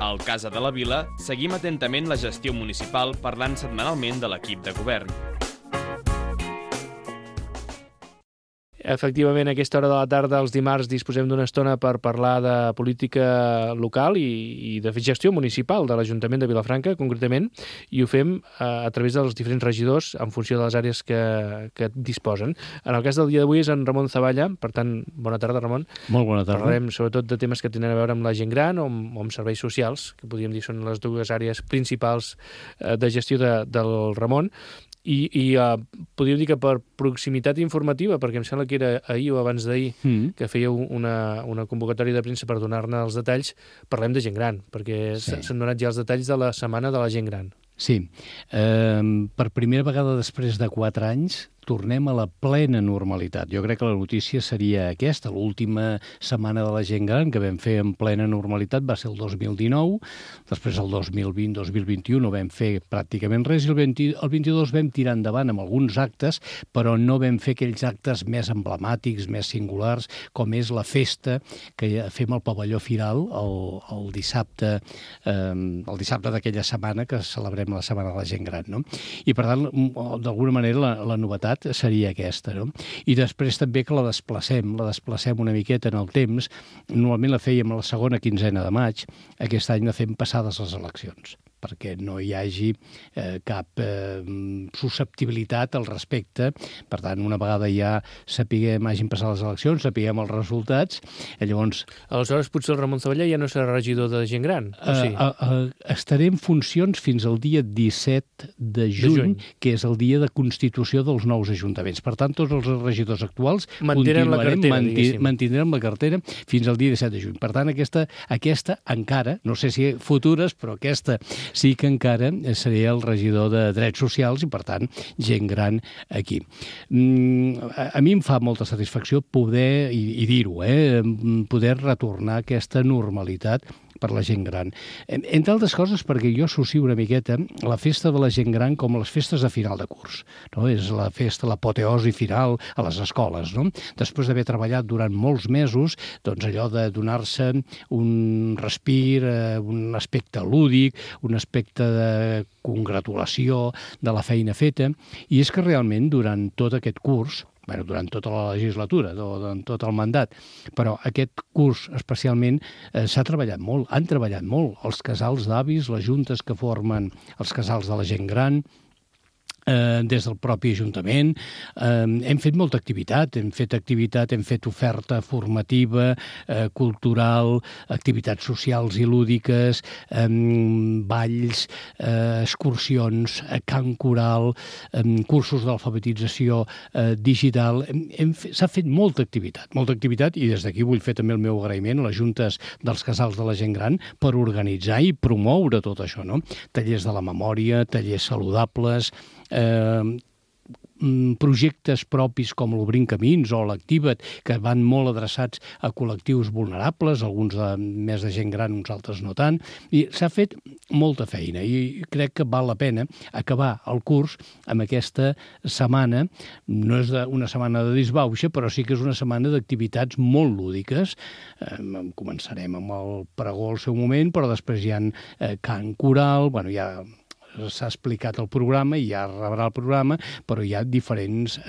Al Casa de la Vila seguim atentament la gestió municipal parlant setmanalment de l'equip de govern. Efectivament, a aquesta hora de la tarda, els dimarts, disposem d'una estona per parlar de política local i de gestió municipal de l'Ajuntament de Vilafranca, concretament, i ho fem a través dels diferents regidors en funció de les àrees que disposen. En el cas del dia d'avui és en Ramon Zavalla, per tant, bona tarda, Ramon. Molt bona tarda. Parlarem sobretot de temes que tenen a veure amb la gent gran o amb serveis socials, que podríem dir són les dues àrees principals de gestió del Ramon. I podríem dir que per proximitat informativa, perquè em sembla que era ahir o abans d'ahir que fèieu una convocatòria de premsa per donar-ne els detalls, parlem de gent gran, perquè s'han donat ja els detalls de la setmana de la gent gran. Sí. Per primera vegada després de 4 anys tornem a la plena normalitat. Jo crec que la notícia seria aquesta. L'última setmana de la gent gran que vam fer en plena normalitat va ser el 2019, després el 2020-2021 no vam fer pràcticament res, i el 22 vam tirar endavant amb alguns actes, però no vam fer aquells actes més emblemàtics, més singulars, com és la festa que fem al pavelló Firal el dissabte d'aquella setmana que celebrem la Setmana de la Gent Gran, no? I per tant, d'alguna manera, la novetat seria aquesta, no? I després també que la desplacem una miqueta en el temps. Normalment la fèiem a la segona quinzena de maig, aquest any la fem passades les eleccions, perquè no hi hagi cap susceptibilitat al respecte. Per tant, una vegada ja hagin passat les eleccions, sapiguem els resultats, llavors... Aleshores, potser el Ramon Zavalla ja no serà regidor de gent gran, o sí? Estaré en funcions fins al dia 17 de juny, que és el dia de constitució dels nous ajuntaments. Per tant, tots els regidors actuals mantindrem la cartera fins al dia 17 de juny. Per tant, aquesta encara, no sé si futures, però aquesta sí que encara seria el regidor de Drets Socials i, per tant, gent gran aquí. A mi em fa molta satisfacció poder, i dir-ho, poder retornar a aquesta normalitat per la gent gran. Entre altres coses perquè jo associo una miqueta la festa de la gent gran com les festes de final de curs, no? És la festa, l'apoteosi final a les escoles, no? Després d'haver treballat durant molts mesos, doncs allò de donar-se un respir, un aspecte lúdic, un aspecte de congratulació de la feina feta, i és que realment durant tot aquest curs, durant tota la legislatura, durant tot el mandat, però aquest curs especialment s'ha treballat molt, han treballat molt els casals d'avis, les juntes que formen els casals de la gent gran, des del propi Ajuntament. Hem fet molta activitat, hem fet oferta formativa, cultural, activitats socials i lúdiques, balls, excursions, cant coral, cursos d'alfabetització digital. S'ha fet molta activitat, i des d'aquí vull fer també el meu agraïment a les juntes dels casals de la gent gran per organitzar i promoure tot això, no? Tallers de la memòria, tallers saludables, projectes propis com l'Obrint Camins o l'Activa't, que van molt adreçats a col·lectius vulnerables, alguns més de gent gran, uns altres no tant, i s'ha fet molta feina, i crec que val la pena acabar el curs amb aquesta setmana. No és una setmana de disbauxa, però sí que és una setmana d'activitats molt lúdiques. Començarem amb el pregó al seu moment, però després hi ha cant coral, ja s'ha explicat el programa i ja rebrà el programa, però hi ha diferents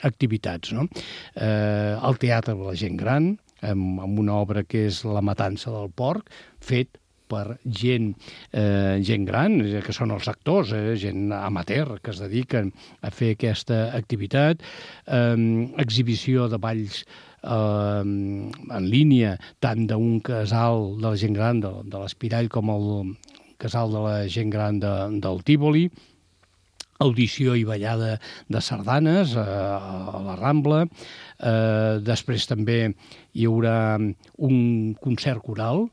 activitats, no? El teatre de la gent gran, amb una obra que és La matança del porc, fet per gent gran, que són els actors, gent amateur que es dediquen a fer aquesta activitat, exhibició de balls en línia, tant d'un casal de la gent gran de l'Espirall com el casal de la gent gran del Tívoli, audició i ballada de sardanes a la Rambla. Després també hi haurà un concert coral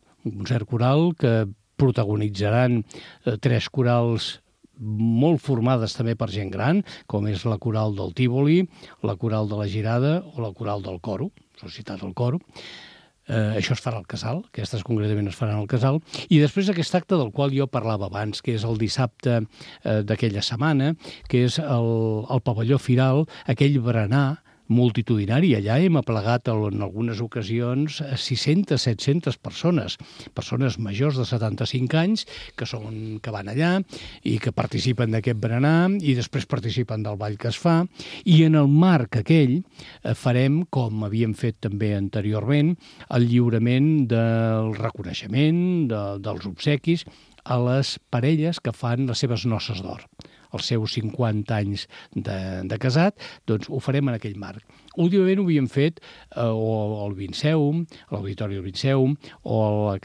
que protagonitzaran 3 corals molt formades també per gent gran, com és la coral del Tívoli, la coral de la Girada o la coral del Coro, Societat del Coro. Això es farà al Casal, aquestes concretament es faran al Casal, i després aquest acte del qual jo parlava abans, que és el dissabte d'aquella setmana, que és el pavelló Firal, aquell berenar multitudinari. Allà hem aplegat en algunes ocasions 600-700 persones majors de 75 anys que van allà i que participen d'aquest berenar i després participen del ball que es fa. I en el marc aquell farem, com havíem fet també anteriorment, el lliurament del reconeixement, dels obsequis a les parelles que fan les seves noces d'or. Els seus 50 anys de casat, doncs ho farem en aquell marc. Últimament ho havíem fet al Vinceum, a l'Auditori del Vinceum, o al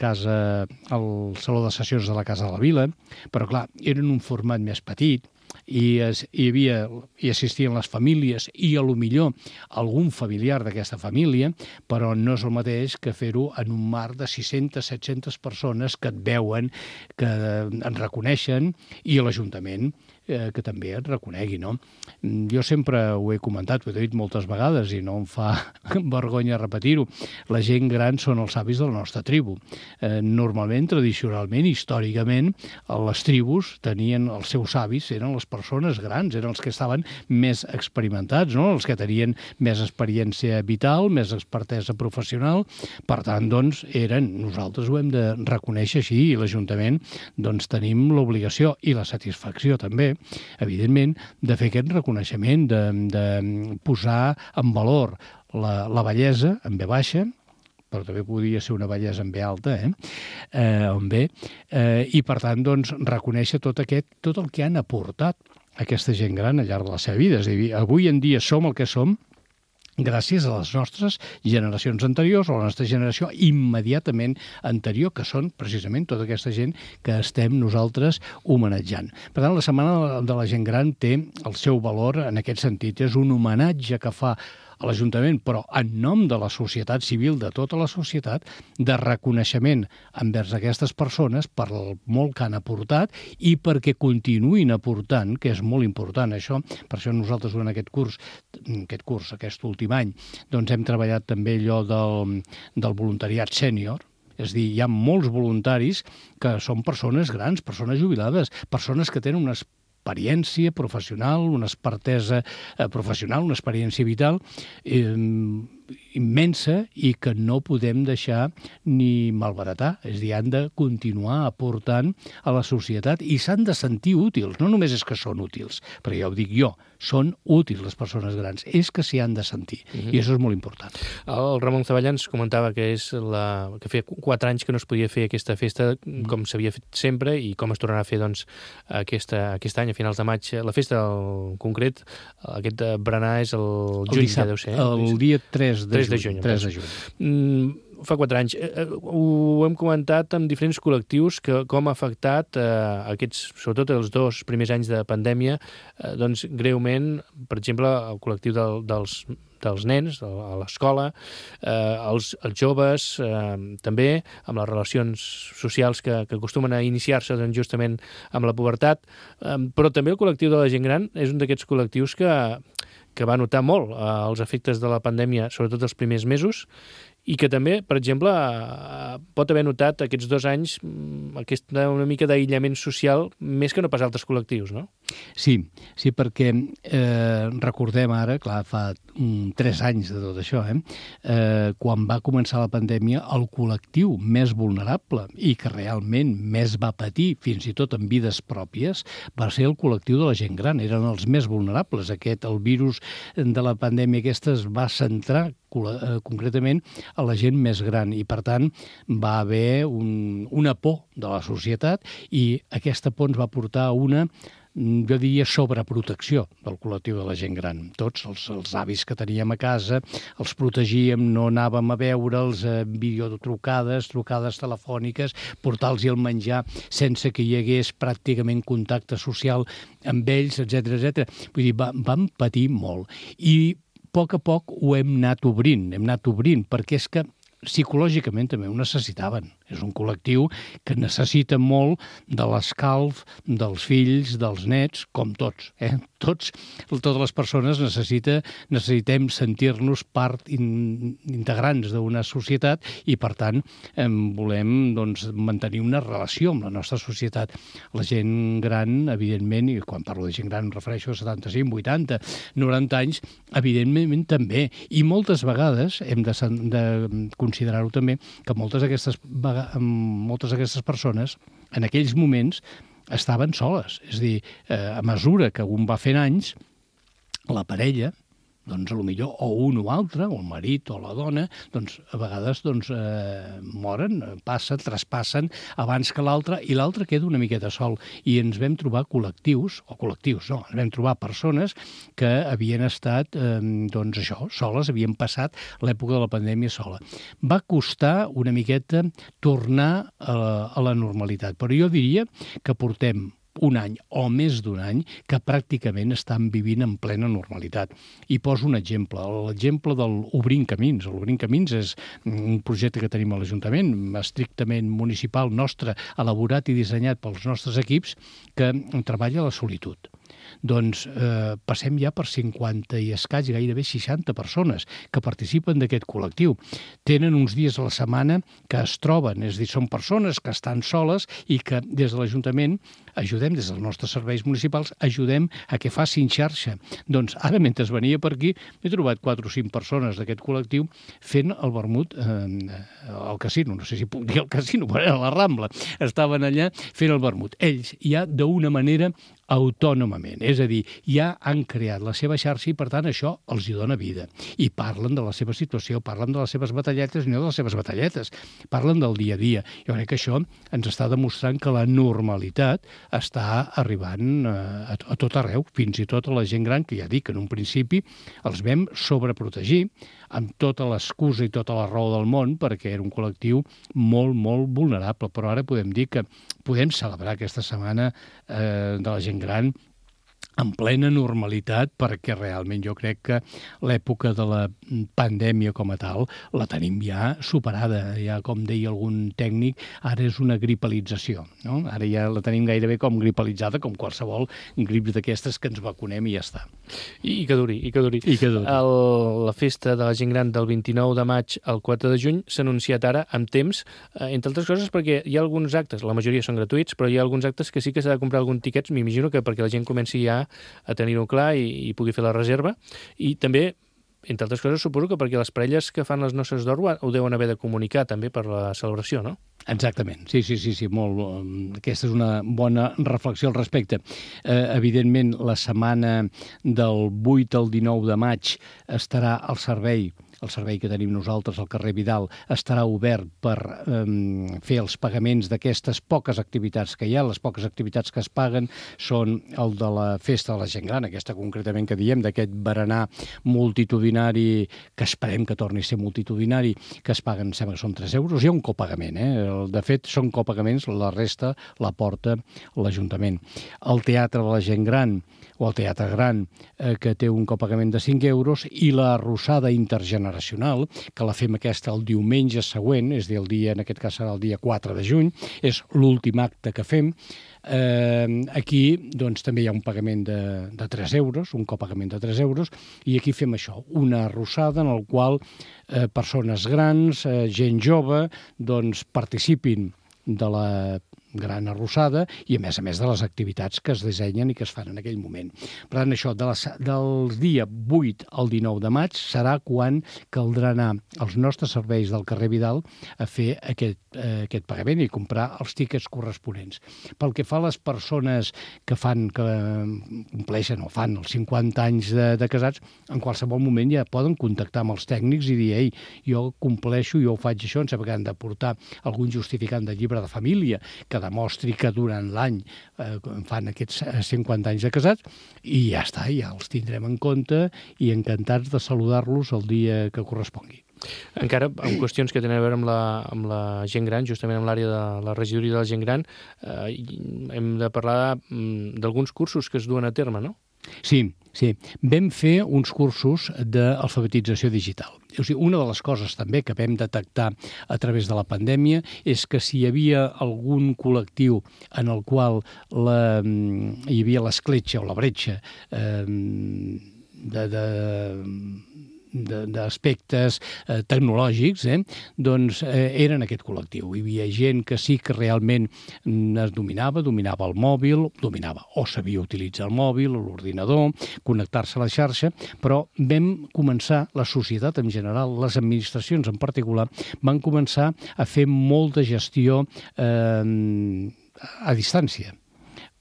Saló de Sessions de la Casa de la Vila, però clar, era en un format més petit, hi assistien les famílies i a lo millor algun familiar d'aquesta família, però no és el mateix que fer-ho en un marc de 600-700 persones que et veuen, que en reconeixen, i a l'Ajuntament que també et reconegui, no? Jo sempre ho he comentat, ho he dit moltes vegades i no em fa vergonya repetir-ho. La gent gran són els avis de la nostra tribu. Normalment, tradicionalment, històricament, les tribus tenien els seus avis, eren les persones grans, eren els que estaven més experimentats, no? Els que tenien més experiència vital, més expertesa professional. Per tant, doncs, nosaltres ho hem de reconèixer així, i l'Ajuntament doncs, tenim l'obligació i la satisfacció també, evidentment, de fer aquest reconeixement, de posar en valor la bellesa en ve baixa, però també podria ser una bellesa en ve alta, i per tant, doncs, reconèixer tot el que han aportat aquesta gent gran al llarg de la seva vida. És a dir, avui en dia som el que som gràcies a les nostres generacions anteriors, o a la nostra generació immediatament anterior, que són precisament tota aquesta gent que estem nosaltres homenatjant. Per tant, la Setmana de la Gent Gran té el seu valor en aquest sentit. És un homenatge que fa a l'Ajuntament, però en nom de la societat civil, de tota la societat, de reconeixement envers aquestes persones per el molt que han aportat i perquè continuïn aportant, que és molt important això. Per això nosaltres durant aquest últim any, doncs hem treballat també allò del voluntariat sènior. És a dir, hi ha molts voluntaris que són persones grans, persones jubilades, persones que tenen una experiència professional, una expertesa professional, una experiència vital immensa i que no podem deixar ni malbaratar. És a dir, han de continuar aportant a la societat i s'han de sentir útils. No només és que són útils, però ja ho dic jo, són útils les persones grans, és que s'hi han de sentir. I això és molt important. El Ramon Zavallans comentava que que feia 4 anys que no es podia fer aquesta festa com s'havia fet sempre i com es tornarà a fer doncs, aquest any, a finals de maig. La festa en concret, aquest berenar és el juny, que deu ser. El dia 3 de juny. Fa 4 anys. Ho hem comentat amb diferents col·lectius com ha afectat sobretot els 2 primers anys de pandèmia, doncs greument, per exemple, el col·lectiu dels nens a l'escola, els joves, també amb les relacions socials que acostumen a iniciar-se doncs, justament amb la pubertat, però també el col·lectiu de la gent gran és un d'aquests col·lectius que va notar molt els efectes de la pandèmia, sobretot els primers mesos, i que també, per exemple, pot haver notat aquests 2 anys una mica d'aïllament social més que no pas altres col·lectius, no? Sí, perquè recordem ara, clar, fa 3 anys de tot això, quan va començar la pandèmia, el col·lectiu més vulnerable i que realment més va patir, fins i tot en vides pròpies, va ser el col·lectiu de la gent gran. Eren els més vulnerables. El virus de la pandèmia aquesta es va centrar concretament a la gent més gran i, per tant, va haver una por de la societat i aquesta por ens va portar a una, jo diria, sobreprotecció del col·lectiu de la gent gran. Tots els avis que teníem a casa els protegíem, no anàvem a veure'ls, videotrucades, trucades telefòniques, portar-los el menjar sense que hi hagués pràcticament contacte social amb ells, etc. Vull dir, vam patir molt. I a poc ho hem anat obrint, perquè és que psicològicament també ho necessitaven. És un col·lectiu que necessita molt de l'escalf dels fills, dels nets, com tots. totes les persones necessitem sentir-nos part integrants d'una societat i, per tant, volem mantenir una relació amb la nostra societat. La gent gran, evidentment, i quan parlo de gent gran em refereixo a 75, 80, 90 anys, evidentment també. I moltes vegades hem de considerar-ho també que moltes d'aquestes persones en aquells moments estaven soles. És a dir, a mesura que un va fent anys, la parella, doncs, potser o un o altre, o el marit o la dona, doncs, a vegades moren, traspassen abans que l'altre, i l'altre queda una miqueta sol. I ens vam trobar ens vam trobar persones que havien estat, soles, havien passat l'època de la pandèmia sola. Va costar una miqueta tornar a la normalitat, però jo diria que portem un any o més d'un any que pràcticament estan vivint en plena normalitat. I poso un exemple, l'exemple del Obrint Camins. L'Obrint Camins és un projecte que tenim a l'Ajuntament, estrictament municipal nostre, elaborat i dissenyat pels nostres equips, que treballa la solitud. Doncs passem ja per 50 i escaig, gairebé 60 persones que participen d'aquest col·lectiu. Tenen uns dies a la setmana que es troben, és a dir, són persones que estan soles i que des de l'Ajuntament ajudem, des dels nostres serveis municipals, ajudem a que facin xarxa. Doncs ara, mentre venia per aquí, he trobat 4 o 5 persones d'aquest col·lectiu fent el vermut al casino. No sé si puc dir el casino, però era a la Rambla. Estaven allà fent el vermut. Ells ja d'una manera autònomament, és a dir, ja han creat la seva xarxa i, per tant, això els hi dona vida. I parlen de la seva situació, parlen de les seves batalletes, no de les seves batalletes, parlen del dia a dia. Jo crec que això ens està demostrant que la normalitat està arribant a tot arreu, fins i tot a la gent gran, que ja dic, en un principi els vam sobreprotegir amb tota l'excusa i tota la raó del món, perquè era un col·lectiu molt, molt vulnerable. Però ara podem dir que podem celebrar aquesta setmana de la gent gran en plena normalitat, perquè realment jo crec que l'època de la pandèmia com a tal la tenim ja superada. Ja, com deia algun tècnic, ara és una gripalització, no? Ara ja la tenim gairebé com gripalitzada, com qualsevol grip d'aquestes que ens vacunem i ja està. I que duri. La festa de la gent gran del 29 de maig al 4 de juny s'ha anunciat ara amb temps, entre altres coses perquè hi ha alguns actes, la majoria són gratuïts, però hi ha alguns actes que sí que s'ha de comprar algun tiquets, m'imagino que perquè la gent comenci ja a tenir-ho clar i pugui fer la reserva. I també, entre altres coses, suposo que perquè les parelles que fan les noces d'or ho deuen haver de comunicar també per la celebració, no? Exactament, sí, molt. Aquesta és una bona reflexió al respecte. Evidentment, la setmana del 8 al 19 de maig estarà al servei que tenim nosaltres al carrer Vidal, estarà obert per fer els pagaments d'aquestes poques activitats que hi ha. Les poques activitats que es paguen són el de la festa de la gent gran, aquesta concretament que diem, d'aquest berenar multitudinari, que esperem que torni a ser multitudinari, que es paguen, sembla que són 3 euros. Hi ha un copagament, de fet són copagaments, la resta la porta l'Ajuntament. El Teatre de la Gent Gran, o el Teatre Gran, que té un copagament de 5 euros, i la Arrossada Intergeneracional, que la fem aquesta el diumenge següent, és a dir, el dia, en aquest cas serà el dia 4 de juny, és l'últim acte que fem. Aquí doncs, també hi ha un pagament de 3 euros, un copagament de 3 euros, i aquí fem això, una arrossada en el qual persones grans, gent jove, doncs participin de la gran arrossada i, a més de les activitats que es dissenyen i que es fan en aquell moment. Per tant, això, del dia 8 al 19 de maig serà quan caldrà anar als nostres serveis del carrer Vidal a fer aquest pagament i comprar els tíquets corresponents. Pel que fa a les persones que compleixen o fan els 50 anys de casats, en qualsevol moment ja poden contactar amb els tècnics i dir, ei, jo compleixo, jo ho faig això, em sembla que han de portar algun justificant de llibre de família que demostri que durant l'any fan aquests 50 anys de casats, i ja està, ja els tindrem en compte i encantats de saludar-los el dia que correspongui. Encara en qüestions que tenen a veure amb la gent gran, justament amb l'àrea de la regidoria de la gent gran, hem de parlar d'alguns cursos que es duen a terme, no? Sí. Vam fer uns cursos d'alfabetització digital. O sigui, una de les coses també que vam detectar a través de la pandèmia és que si hi havia algun col·lectiu en el qual hi havia l'escletxa o la bretxa d'aspectes tecnològics, doncs era en aquest col·lectiu. Hi havia gent que sí que realment es dominava el mòbil, o sabia utilitzar el mòbil o l'ordinador, connectar-se a la xarxa, però vam començar, la societat en general, les administracions en particular, van començar a fer molta gestió a distància.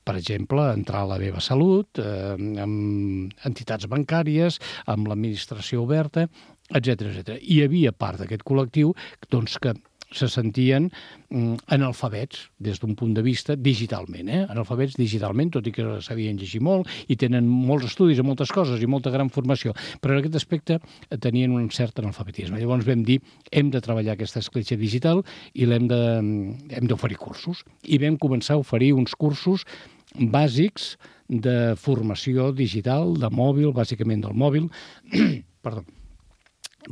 Per exemple, entrar a la meva salut, amb entitats bancàries, amb l'administració oberta, etc. Hi havia part d'aquest col·lectiu doncs, que se sentien analfabets des d'un punt de vista digitalment, analfabets digitalment, tot i que sabien llegir molt i tenen molts estudis i moltes coses i molta gran formació, però en aquest aspecte tenien un cert analfabetisme. Llavors vam dir, hem de treballar aquesta escletxa digital i hem d'oferir cursos. I vam començar a oferir uns cursos bàsics de formació digital, de mòbil, bàsicament del mòbil, perdó,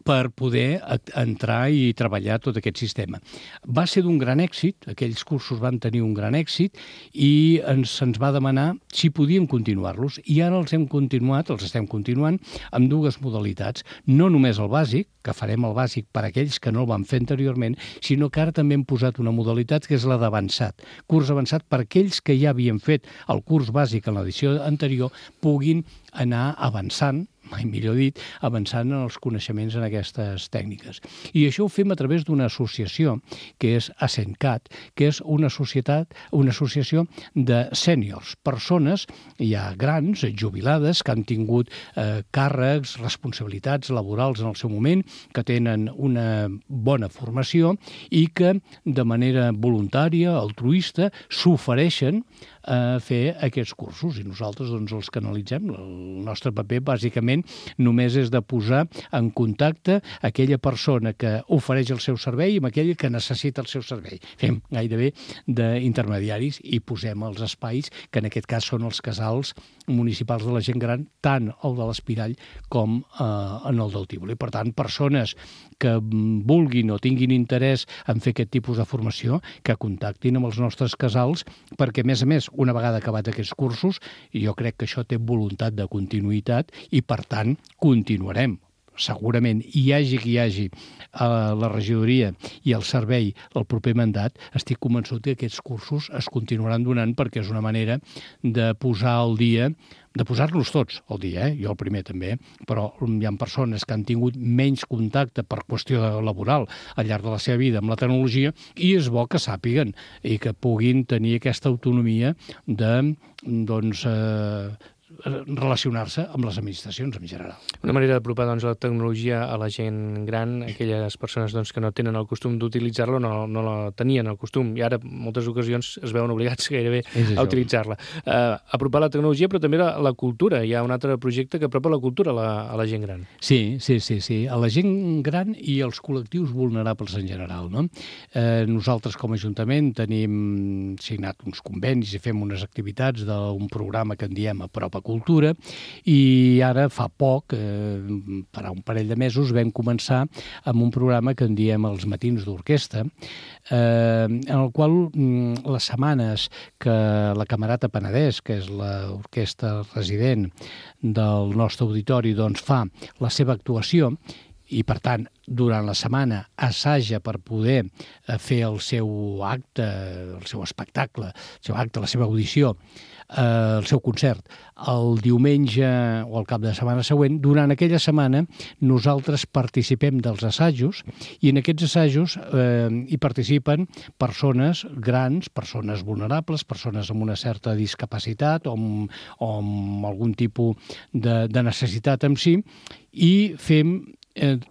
per poder entrar i treballar tot aquest sistema. Va ser d'un gran èxit, aquells cursos van tenir un gran èxit i se'ns va demanar si podíem continuar-los i ara els estem continuant amb dues modalitats. No només el bàsic, que farem el bàsic per a aquells que no el van fer anteriorment, sinó que ara també hem posat una modalitat que és la d'avançat. Curs avançat per a aquells que ja havien fet el curs bàsic en l'edició anterior puguin anar avançant, mai millor dit, avançant en els coneixements en aquestes tècniques. I això ho fem a través d'una associació, que és ASENCAT, que és una associació de sèniors, persones ja grans, jubilades, que han tingut càrrecs, responsabilitats laborals en el seu moment, que tenen una bona formació i que de manera voluntària, altruista, s'ofereixen a fer aquests cursos i nosaltres doncs, els canalitzem. El nostre paper bàsicament només és de posar en contacte aquella persona que ofereix el seu servei amb aquella que necessita el seu servei. Fem gairebé d'intermediaris i posem els espais que en aquest cas són els casals municipals de la gent gran, tant el de l'Espirall com en el del Tívoli. Per tant, persones que vulguin o tinguin interès en fer aquest tipus de formació, que contactin amb els nostres casals, perquè, a més, una vegada acabat aquests cursos, jo crec que això té voluntat de continuïtat i, per tant, continuarem. Segurament hi hagi qui hi hagi a la regidoria i al servei el proper mandat, estic convençut que aquests cursos es continuaran donant perquè és una manera de posar al dia, de posar-los tots al dia, jo el primer també, però hi ha persones que han tingut menys contacte per qüestió laboral al llarg de la seva vida amb la tecnologia i és bo que sàpiguen i que puguin tenir aquesta autonomia de, doncs, relacionar-se amb les administracions en general. Una manera d'apropar la tecnologia a la gent gran, aquelles persones que no tenen el costum d'utilitzar-la, no la tenien el costum, i ara en moltes ocasions es veuen obligats gairebé a utilitzar-la. Apropar la tecnologia, però també la cultura. Hi ha un altre projecte que apropa la cultura a la gent gran. Sí. A la gent gran i als col·lectius vulnerables en general. No? Nosaltres, com a Ajuntament, tenim signat uns convenis i fem unes activitats d'un programa que en diem Apropa Cultura, i ara fa poc, per un parell de mesos, vam començar amb un programa que en diem els Matins d'Orquestra, en el qual les setmanes que la Camerata Penedès, que és l'orquestra resident del nostre auditori, doncs fa la seva actuació, i, per tant, durant la setmana assaja per poder fer el seu acte, el seu espectacle, la seva audició, el seu concert, el diumenge o el cap de setmana següent. Durant aquella setmana nosaltres participem dels assajos i en aquests assajos hi participen persones grans, persones vulnerables, persones amb una certa discapacitat o amb algun tipus de necessitat en si, i fem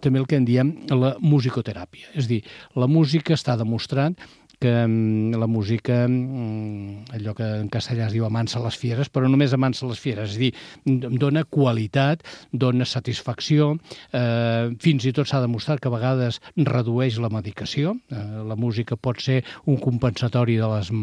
també el que en diem la musicoteràpia. És a dir, la música està demostrat que la música, allò que en castellà es diu amansa les fieres, però només amansa les fieres, és a dir, dona qualitat, dona satisfacció, fins i tot s'ha demostrat que a vegades redueix la medicació, la música pot ser un compensatori de les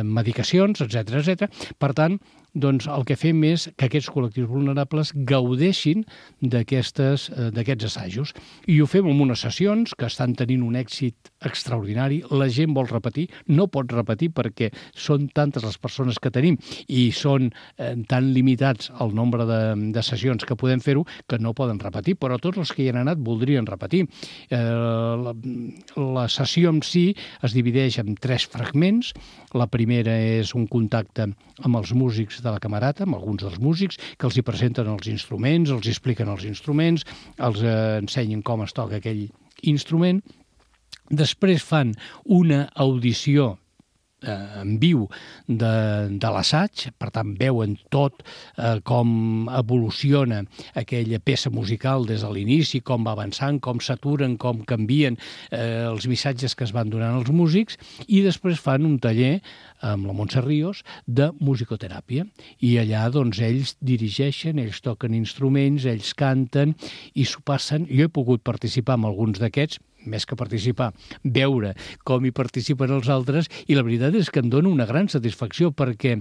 medicacions, etc. Per tant, doncs el que fem és que aquests col·lectius vulnerables gaudeixin d'aquests assajos. I ho fem amb unes sessions que estan tenint un èxit extraordinari. La gent vol repetir, no pot repetir perquè són tantes les persones que tenim i són tan limitats el nombre de sessions que podem fer-ho que no poden repetir, però tots els que hi han anat voldrien repetir. La sessió en si es divideix en 3 fragments. La primera és un contacte amb els músics de la Camerata, amb alguns dels músics, que els hi presenten els instruments, els expliquen els instruments, els ensenyen com es toca aquell instrument. Després fan una audició en viu de l'assaig, per tant veuen tot com evoluciona aquella peça musical des de l'inici, com va avançant, com s'aturen, com canvien els missatges que es van donant als músics, i després fan un taller amb la Montse Ríos de musicoteràpia, i allà doncs ells dirigeixen, ells toquen instruments, ells canten i s'ho passen. Jo he pogut participar en alguns d'aquests, més que participar, veure com hi participen els altres, i la veritat és que em dona una gran satisfacció perquè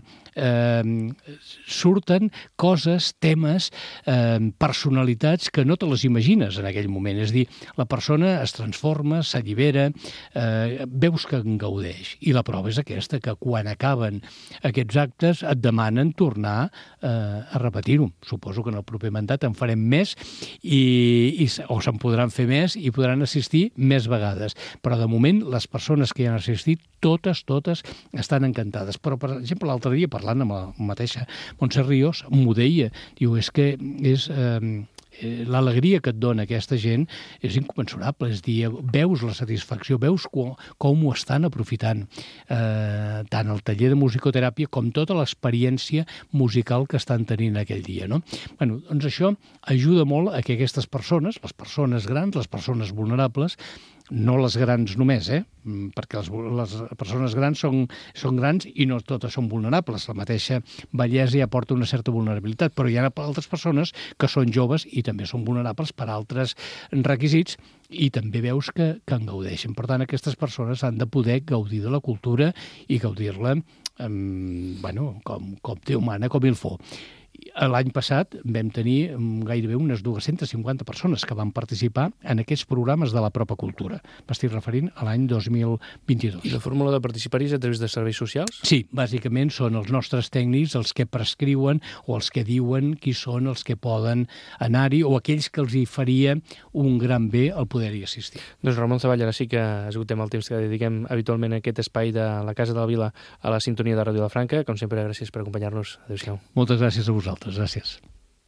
surten coses, temes, personalitats que no te les imagines en aquell moment. És a dir, la persona es transforma, s'allibera, veus que en gaudeix. I la prova és aquesta, que quan acaben aquests actes et demanen tornar a repetir-ho. Suposo que en el proper mandat en farem més o se'n podran fer més i podran assistir més vegades. Però de moment les persones que hi han assistit, totes estan encantades. Però, per exemple, l'altre dia, parlant amb la mateixa Montse Ríos, m'ho deia. Diu, és que l'alegria que et dona aquesta gent és inconmensurable. És dir, veus la satisfacció, veus com ho estan aprofitant. Tant el taller de musicoteràpia com tota l'experiència musical que estan tenint aquell dia, no? Bueno, doncs això ajuda molt a que aquestes persones, les persones grans, les persones vulnerables, no les grans només, perquè les persones grans són grans i no totes són vulnerables. La mateixa vellesa ja porta una certa vulnerabilitat, però hi ha altres persones que són joves i també són vulnerables per altres requisits i també veus que en gaudeixen. Per tant, aquestes persones han de poder gaudir de la cultura i gaudir-la com Déu mana, com il faut. L'any passat vam tenir gairebé unes 250 persones que van participar en aquests programes de la pròpia cultura. M'estic referint a l'any 2022. I la fórmula de participar-hi és a través de serveis socials? Sí, bàsicament són els nostres tècnics els que prescriuen o els que diuen qui són els que poden anar-hi o aquells que els hi faria un gran bé el poder-hi assistir. Doncs Ramon Zavall, ara sí que esgotem el temps que dediquem habitualment a aquest espai de la Casa de la Vila a la sintonia de Ràdio La Franca. Com sempre, gràcies per acompanyar-nos. Adéu-siau. Moltes gràcies a vosaltres. Gràcies.